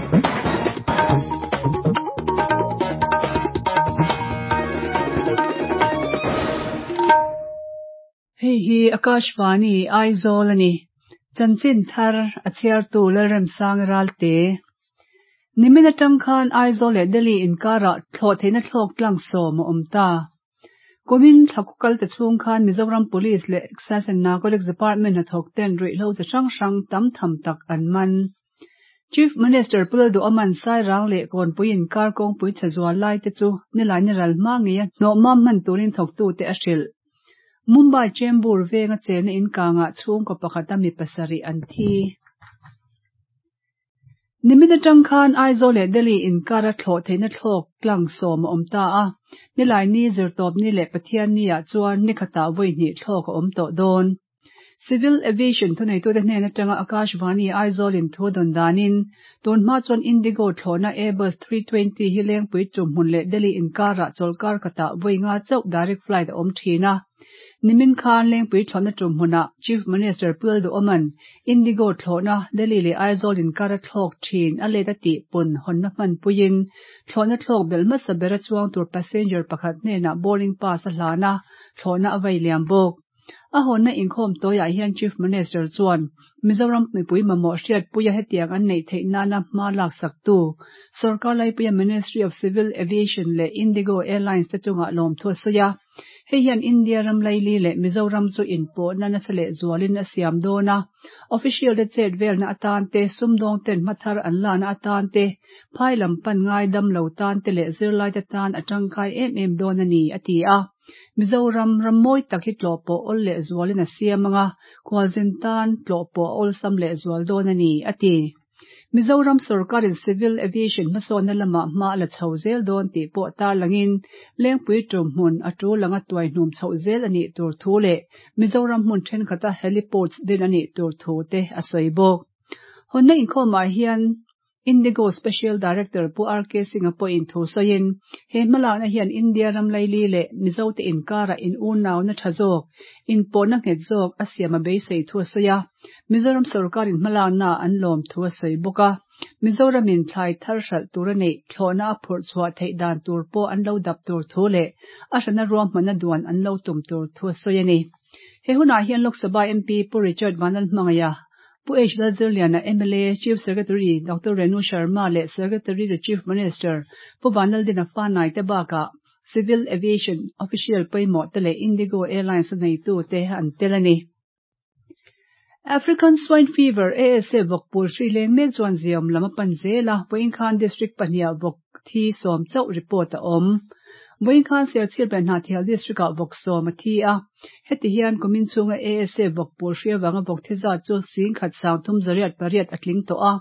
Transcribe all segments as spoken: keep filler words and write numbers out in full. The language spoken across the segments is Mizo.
Hei hi Akashvani Aizawl ani. Chanchin thar a chhiartu Lalremsang Ralte. Nimin atang khan Aizawl leh Delhi inkara thlawh theihna thlawk tlang sawm a awm ta. Kumin thlakukal te chhung khan Mizoram Police leh Excise and Narcotics Department hnathawk ten ruihhlo chi hrang hrang tam tham tak an man. Chief Minister Pu Lalduhoma'n Sairang leh Kawnpui inkar kawngpui chhe zual lai te chu nilai ni ral hma ngeia hnawhmam hman turin thawktute a hrilh. Mumbai Chembur venga chena inkanga chhungkaw pakhata mi pasarih an thi. Nimin atang khan Aizawl leh Delhi inkara thlawh theihna thlawk tlang sawm a awm ta a. Nilai ni zirtawp ni leh Pathian ni ah chuan ni khatah vawi hnih thlawk a awm tawh dawn. Civil Aviation thuneitute hnen atanga Akashvani Aizawl in thu dawn danin tun hma chuan Indigo thlawhna Airbus three twenty hi Lengpui tumhmun leh Delhi inkara chawlkar khatah vawi nga chauh direct flight a awm thin a. Nimin khan Lengpui thlawhna tumhmunah Chief Minister Pu Lalduhoma'n Indigo thlawhna Delhi leh Aizawl inkara thlawk thin a let a tih pun hawnna hman puiin thlawhna thlawk bel hmasa bera chuang tur passenger pakhat hnenah boarding pass a hlan a, thlawhna a vai liam bawk. A hawnna inkhawm tawiah hian Chief Minister chuan Mizoram mipui mamawh hriatpuia hetiang an neih theih nana hma lak sak tu Sorkar Laipuia Ministry of Civil Aviation leh Indigo Airlines te chungah lawmthu a sawi a. Hei hian India ram laili leh Mizoram chu inpawhna nasa leh zualin a siam dawn a. Official te chet velna atan te, sumdawng ten hmathar an lana atan te, phai lam pan ngai dam lo tan te leh zirlai te tan a tangkai em em dawn a ni, a ti a. Mizoram ram mawi tak hi tlawh pawh awl leh zualin a siam anga, khualzin tan tlawh pawh a awlsam leh zual dawn a ni, a ti. Mizoram Sorkarin Civil Aviation hmasawnna lamah hma a la chho zel dawn tih pawh tarlangin Lengpui tumhmun a tul anga tuai hnum chhoh zel a nih tur thu leh Mizoram hmun thenkhat a heliports din a nih tur thu te a sawi bawk. Hawnna inkhawmah hian Indigo Special Director Pu R K Singh pawhin thu sawiin he hmalakna hian India ram laili leh Mizote inkara in unauna tha zawk, inpawhna nghet zawk a siam a beisei thu a sawi a. Mizoram Sorkarin hmalakna an lawm thu a sawi bawk a. Mizoramin thlai thar hralh tur a neih thlawhna a phurh chhuah theih dan tur pawh an lo dap tur thu leh a hrana ruahmanna duan an lo tum tur thu a sawi a ni. He hunah hian Lok Sabha M P Pu Richard Vanlalhmangaiha, Pu H Lalzirliana M L A, Chief Secretary Doctor Renu Sharma leh Secretary to Chief Minister Pu Vanlaldina Fanai te bakah Civil Aviation Official pawimawh te leh Indigo Airlines a neitu te an tel a ni. African Swine Fever A S F vawkpul hri leng mek chuan ziam lam a pan zel a, Vawiin District pahnih vawk thi sawm chauh report a awm. Vawiin khan Serchhip leh Hnahthial District ah vawk sawm a thi a. Heti hian kumin chhunga A S F vawkpul hri avanga vawk thi zat chu sing khat sang thum zariat pariat a tling tawh a.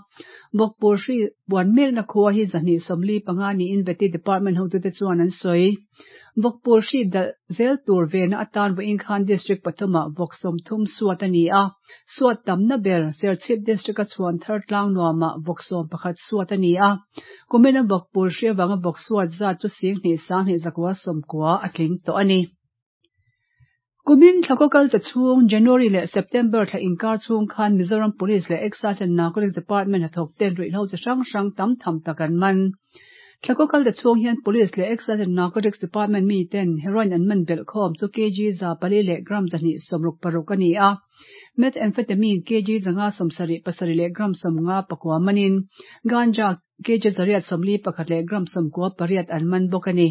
Vawkpul hri buan mekna khua hi zahnih sawmli panga niin Vety Department hotute chuan an sawi. Vawkpul hri dal zel tur vena atan Vawiin khan District pathumah vawk sawm thum suat a ni a. Suat tamna ber Serchhip District a chhuan thar tlang nuamah vawk sawm pakhat suat a ni a. Kumin a vawkpul hri avanga vawk suat zat chu sing hnih sang hnih zakua sawmkua a tling tawh a ni. Kumin thlakawkal te chhung January leh September thla inkar chhung khan Mizoram Police leh Excise and Narcotics Department hnathawk ten ruihhlo chi hrang hrang tam tham tak an man. Thlakawkal te chhung hian Police leh Excise and Narcotics Department mi ten heroin an man belh khawm chu kg za pali leh gram zahnih sawmruk paruk a ni a. Methamphetamine kg zanga sawmsarih pasarih leh gram sawmnga pakua manin ganja kg zariat sawmli pakhat leh gram sawmkua pariat an man bawk a ni.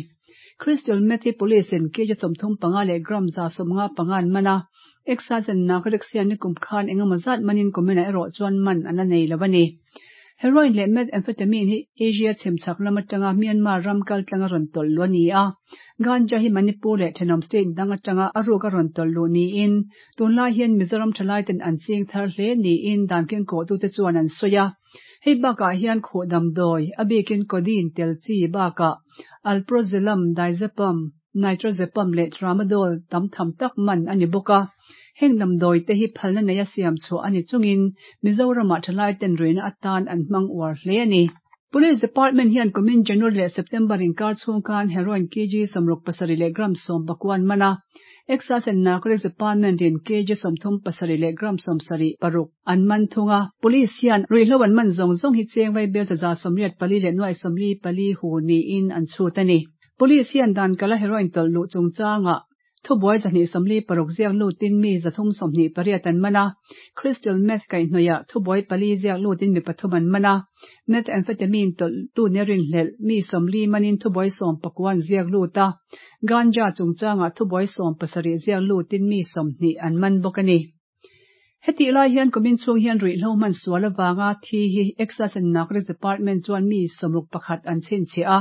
Crystal meth hi Police in kg sawmthum panga leh gram za sawmnga panga an man a. Excise and Narcotics hian ni kum khan engemaw zat manin kumina erawh chuan man an la nei lo a ni. Heroin leh methamphetamine hi Asia chhimchhak lam atanga Myanmar ram kal tlanga rawn tawlh lu a ni a. Ganja hi Manipur leh Thenawm State dang atanga a ruk a rawn tawlh lu niin tunlai hian Mizoram thalai ten an ching thar hle niin dan kengkawhtute chuan an sawi a. Hei bakah hian khuh damdawi a bikin codeine tel chi bakah alprazolam, diazepam, nitrazepam leh tramadol tam tham tak man a ni bawk a. Heng damdawi te hi phalna nei a siam chhuah a ni chungin Mizoramah thalai ten ruihna atan an hmang uar hle a ni. Police Department hian kumin January leh September inkar chhung khan heroin kg sawmruk pasarih leh gram sawm pakua an man a. Excise and Narcotics Department in kg sawmthum pasarih leh gram sawmsarih paruk an man thung a. Police hian ruihhlo an man zawng zawng hi cheng vai bel chaza sawmriat pali leh nuai sawmli pali hu niin an chhut a ni. Police hian dan kala heroin tawlh luh chungchangah thubuai zahnih sawmli paruk ziak lutin mi zathum sawmhnih pariat an man a. Crystal meth kaihhnawih thubuai pali ziak lutin mi pathum an man a. Methamphetamine tawlh tu ne rinhlelh mi sawmli manin thubuai sawm pakua an ziak lut a. Ganja chungchangah thubuai sawm pasarih ziak lutin mi sawmhnih an man bawk a ni. Heti lai hian kumin chhung hian ruihhlo hman sual awanga thi hi Excise and Narcotics Department chuan mi sawmruk pakhat an chhinchhiah a.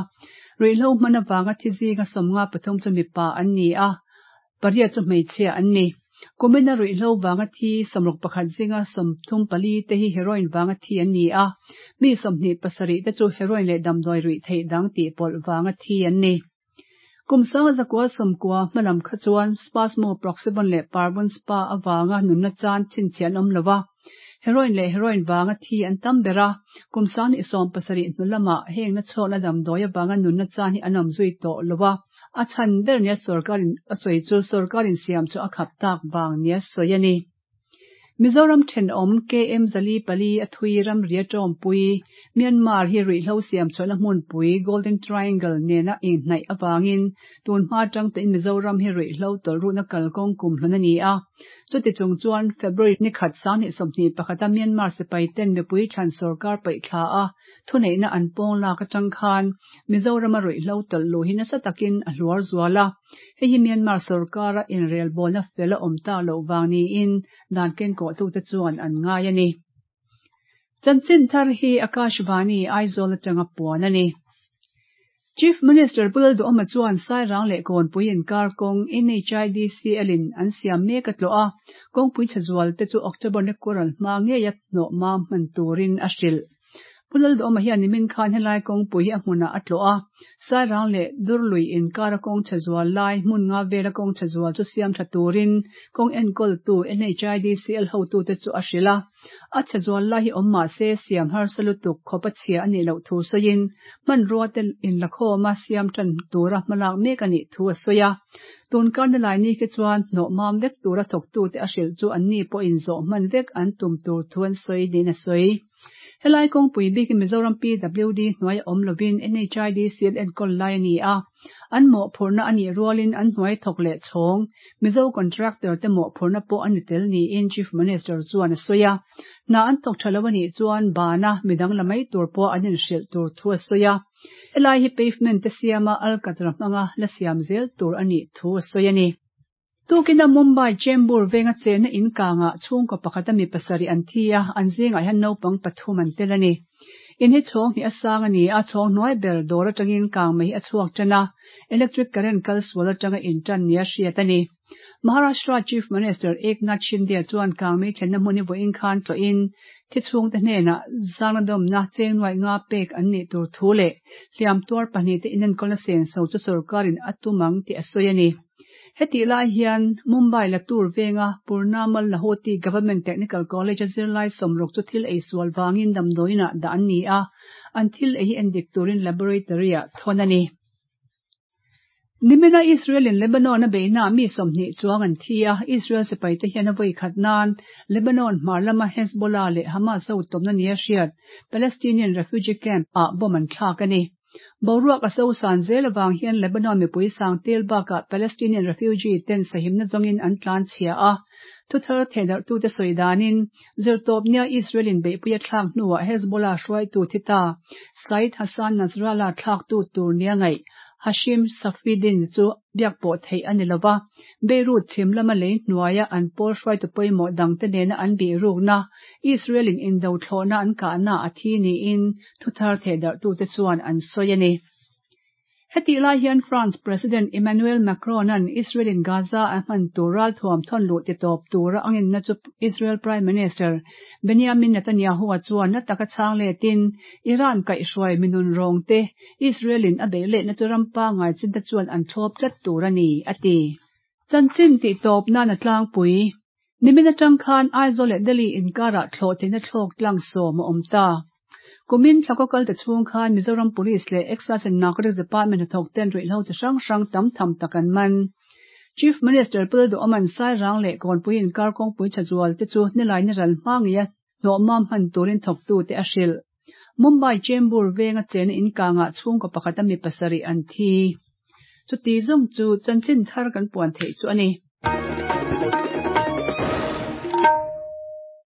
Ruihhlo hman awanga thi zinga sawmnga pathum chu mipa an ni a, pariat chu hmeichhia an ni. Kumina ruihhlo wanga thi sawmruk pakhat zinga sawmthum pali te hi heroin wanga thi an ni a. Mi sawmhnih pasarih te chu heroin leh damdawi ruih theih dang tih pawlh wanga thi an ni. Kum sanga zakua sawmkua hmalam kha chuan Spasmo Proxyvon leh Parvon Spa awanga nunna chan chhinchhiah an awm lova. Heroin leh heroin wanga thi an tam ber a. Kum sang sawm pasarih hnu lamah heng na chhawkna damdawi awanga nunna chan hi an awm zui tawh lova. A chhan ber nia sarkarin a sawi chu sarkarin siam chu a khap tak wang nia sawi a ni. Mizoram thenawm K M Zali pali a thui ram ria tawmpui Myanmar hi ruihhlo siam chhuahna hmunpui Golden Triangle nena inhnaih awangin tun hma tang tuin Mizoram hi ruihhlo tawlhruhna kalkawng kum hlun a ni a. Chuti chung chuan February ni khat sanghnih sawmhnih pakhata Myanmar sipai ten mipui thlan sarkar paih thla a thuneihna an pawng lak atang khan Mizoram a ruihhlo tawlhlu hi nasa takin a hluar zual a. Hei hi Myanmar sarkara inrelbawlna fel a awm ta loh wang niin dan ken kawh tu te chuan an ngai a ni. Chanchin thar hi Akashvani Aizawl atanga puan a ni. Chief Minister Pu Lalduhoma chuan Sairang leh Kawnpui inkar kawng N H I D C L in an siam mek a tlawh a. Kawngpui chhazual te chu October ni kural hma ngei a hnawh ma hman turin a hrilh. Pu Lalduhoma hian nimin khan helai kawngpui hi a hmunah a tlawh a. Sairang leh Durlui inkar a kawng chhazual lai hmun nga vel a kawng chhazual chu siam tha turin kawng enkawl tu N H I D C L hotu te chu a hrilh a. A chhazual lai hi awm mah se siam harsa lutuk khawp a chhia a nih loh thu sawiin hmanrua te inlakhawm a siam tan tura hmalak mek a nih thu a sawi a. Tun karna lai ni khi chuan hnawh mam vek tura thawktu te a hrilh chu an ni pawh inzawh hman vek an tum tur thu an sawi niin a sawi. Helai kawngpui bikin Mizoram P W D hnuai awm lovin N H I D C L enkawl lai a ni a. An mawhphurhna a nih rualin an hnuai thawk leh chhawng Mizo contractor te mawhphurhna pawh a ni tel niin Chief Minister chuan a sawi a. Hna an thawk tha lo a nih chuan bana midang la mai tur pawh an inhrilh tur thu a sawi a. Helai hi pavement te siama alkatra hmanga la siam zel tur a nih thu a sawi a ni. Tukina Mumbai Chembur venga chena inkanga chhungkaw pakhata mi pasarih an thi a, an zingah hian naupang pathum an tel a ni. In hi chhawng hi a sang a ni a, chhawng hnuai ber dawr atangin kang mai hi a chhuak tan a, electric current kal sual atanga intan nia hriat a ni. Maharashtra Chief Minister Eknath Shinde chuan kang mai thlenna hmun hi vawiin khan tlawhin thi chhung te hnenah zangnadawmna cheng nuai nga pek an nih tur thu leh hliam tuar pahnih te inenkawlna senso chu sarkarin a tumang tih a sawi a ni. Heti lai hian Mumbai Latur venga Purnamal Lahoti Government Technical College a zirlai sawmruk chu thil ei sual wangin damdawiinah dah an ni a, an thil ei hi endik turin laboratory ah thawn a ni. Nimina Israel in Lebanon a beihna mi sawmhnih chuang an thi a, Israel sipai te hian a vawi khat nan Lebanon hmar lama Hezbollah leh Hamas ho tawmna nia hriat Palestinian refugee camp ah bomb an thlak a ni. Boruak a so san zel awang hian Lebanon mipui sang tel bakah Palestinian refugee ten sahimna zawngin an tlan chhia a. Thuthar theihdarh tu te sawi danin zirtawp nia Israel in beihpui a thlak hnuah Hezbollah hruaitu thi ta Said Hassan Nasrallah thlak tu tur nia ngaih Hashim Safieddine chu biak pawh theih a ni lova. Beirut chhim lama lei hnuaia an pawl hruaitu pawimawh dang te nena an bihrukna Israel in indo thlawhna an kahna a thi niin thuthar theihdarh tu te chuan an sawi a ni. Heti lai hian France President Emmanuel Macron an Israel in Gaza a hman tur ral thuam thawn luh ti tawp tura angin na chu Israel Prime Minister Benjamin Netanyahu a chuan na taka chang letin Iran kaihhruai minun rawng te Israel in a beih leh na chu rampa ngai chin te chuan an thlawp tlat tur a ni a ti. Chanchin ti tawp nan a tlangpui. Nimin atang khan Aizawl leh Delhi inkara thlawh theihna thlawk tlang sawm a awm ta. Kumin thlako kal te chhung khan Mizoram Police leh Excise and Narcotics Department hnathawk ten ruihhlo chi hrang hrang tam tham tak an man. Chief Minister Pu Lalduhoma'n Sairang leh Kawnpui inkar kawngpui tha zual te chu nilai ni ral hma ngeia hnawhmam hman turin thawktu te a hrilh. Mumbai Chembur venga chena inkangah chhungkaw pakhata mi pasarih an thi. Chuti zawng chu chanchin thar kan puan theih chu a ni.